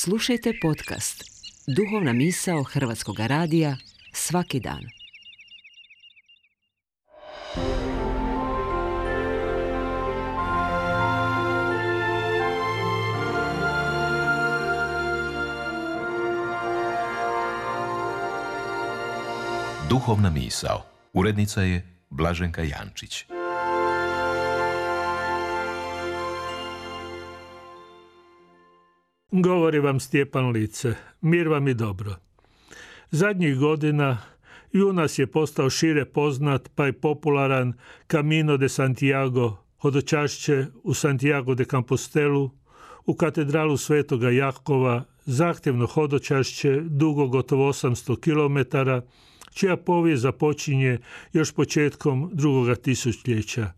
Slušajte podcast Duhovna misao Hrvatskog radija svaki dan. Duhovna misao. Urednica je Blaženka Jančić. Govori vam Stjepan Lice, mir vam i dobro. Zadnjih godina i u nas je postao šire poznat pa i popularan Camino de Santiago, hodočašće u Santiago de Compostelu, u katedralu Svetoga Jakova, zahtjevno hodočašće dugo gotovo 800 km, čija povijest započinje još početkom drugoga tisućljeća.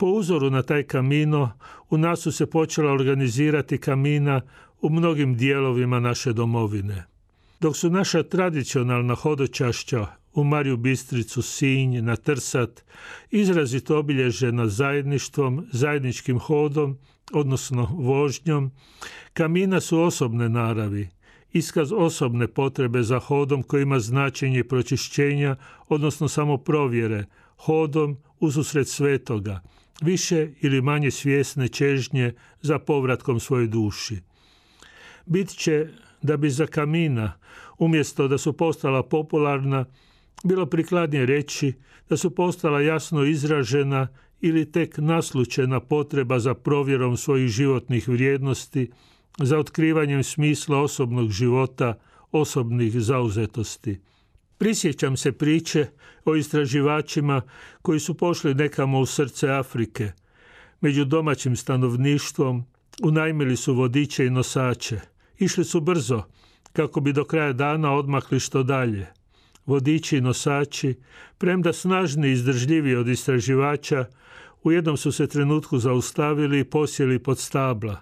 Po uzoru na taj Camino, u nas su se počela organizirati kamina u mnogim dijelovima naše domovine. Dok su naša tradicionalna hodočašća u Mariju Bistricu, Sinj, na Trsat izrazito obilježena zajedništvom, zajedničkim hodom, odnosno vožnjom, kamina su osobne naravi, iskaz osobne potrebe za hodom koji ima značenje pročišćenja, odnosno samo provjere, hodom ususret svetoga, više ili manje svjesne čežnje za povratkom svojoj duši. Bit će da bi za kamina, umjesto da su postala popularna, bilo prikladnije reći da su postala jasno izražena ili tek naslućena potreba za provjerom svojih životnih vrijednosti, za otkrivanjem smisla osobnog života, osobnih zauzetosti. Prisjećam se priče o istraživačima koji su pošli nekamo u srce Afrike. Među domaćim stanovništvom unajmili su vodiče i nosače. Išli su brzo, kako bi do kraja dana odmakli što dalje. Vodiči i nosači, premda snažni i izdržljiviji od istraživača, u jednom su se trenutku zaustavili i posjeli pod stabla.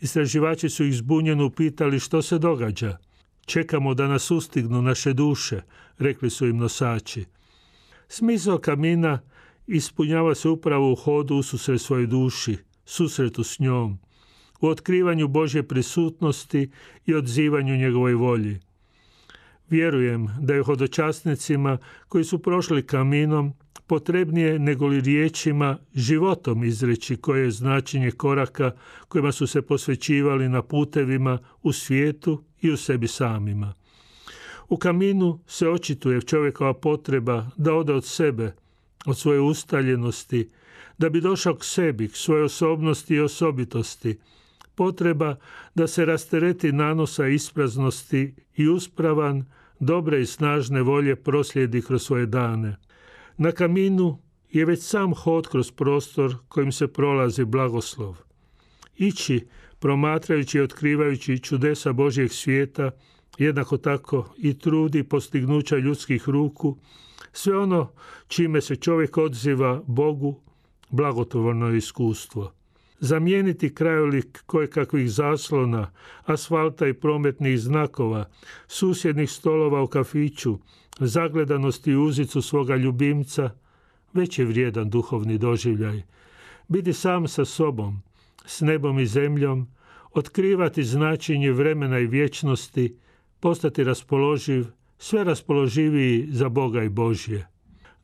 Istraživači su ih zbunjeno upitali što se događa. Čekamo da nas ustignu naše duše, rekli su im nosači. Smisao kamina ispunjava se upravo u hodu ususret svojoj duši, susretu s njom, u otkrivanju Božje prisutnosti i odzivanju njegovoj volji. Vjerujem da je hodočasnicima koji su prošli kaminom potrebnije nego li riječima životom izreći koje je značenje koraka kojima su se posvećivali na putevima u svijetu i u sebi samima. U kaminu se očituje čovjekova potreba da ode od sebe, od svoje ustaljenosti, da bi došao k sebi, k svojoj osobnosti i osobitosti, potreba da se rastereti nanosa ispraznosti i uspravan, dobre i snažne volje proslijedi kroz svoje dane. Na kaminu je već sam hod kroz prostor kojim se prolazi blagoslov. Ići, promatrajući i otkrivajući čudesa Božjeg svijeta, jednako tako i trudi postignuća ljudskih ruku, sve ono čime se čovjek odziva Bogu, blagotvorno iskustvo. Zamijeniti krajolik kojekakvih zaslona, asfalta i prometnih znakova, susjednih stolova u kafiću, zagledanosti i uzicu svoga ljubimca, već je vrijedan duhovni doživljaj. Biti sam sa sobom, s nebom i zemljom, otkrivati značenje vremena i vječnosti, postati raspoloživ, sve raspoloživiji za Boga i Božje.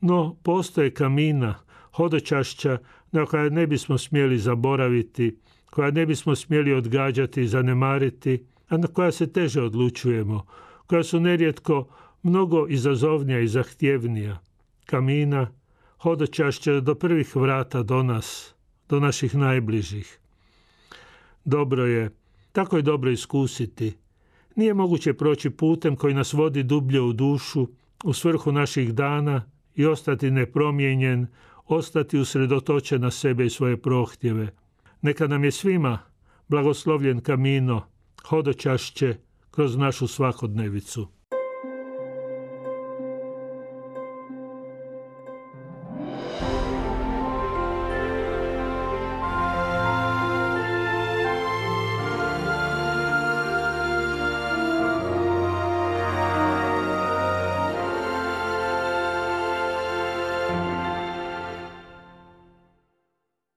No, postoje kamina, hodočašća na koja ne bismo smjeli zaboraviti, koja ne bismo smjeli odgađati i zanemariti, a na koja se teže odlučujemo, koja su nerijetko mnogo izazovnija i zahtjevnija. Kamina, hodočašća do prvih vrata do nas, do naših najbližih. Dobro je, tako je dobro iskusiti. Nije moguće proći putem koji nas vodi dublje u dušu, u svrhu naših dana i ostati nepromijenjen, ostati usredotočen na sebe i svoje prohtjeve. Neka nam je svima blagoslovljen kamino, hodočašće kroz našu svakodnevicu.